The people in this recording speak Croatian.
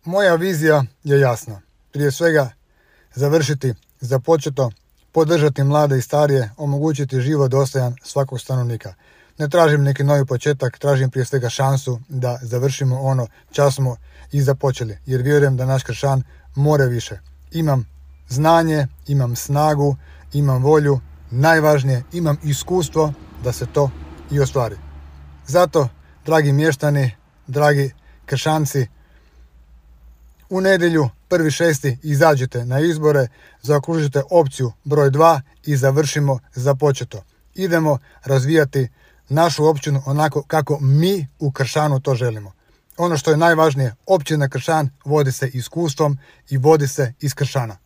Moja vizija je jasna. Prije svega završiti započeto, podržati mlade i starije, omogućiti život dostojan svakog stanovnika. Ne tražim neki novi početak, tražim prije svega šansu da završimo ono čas smo i započeli, jer vjerujem da naš Kršan more više. Imam znanje, imam snagu, imam volju, najvažnije imam iskustvo da se to i ostvari. Zato, dragi mještani, dragi Kršanci, u nedjelju 1.6. izađite na izbore, zaokružite opciju broj 2 i završimo započeto. Idemo razvijati našu općinu onako kako mi u Kršanu to želimo. Ono što je najvažnije, općina Kršan vodi se iskustvom i vodi se iz Kršana.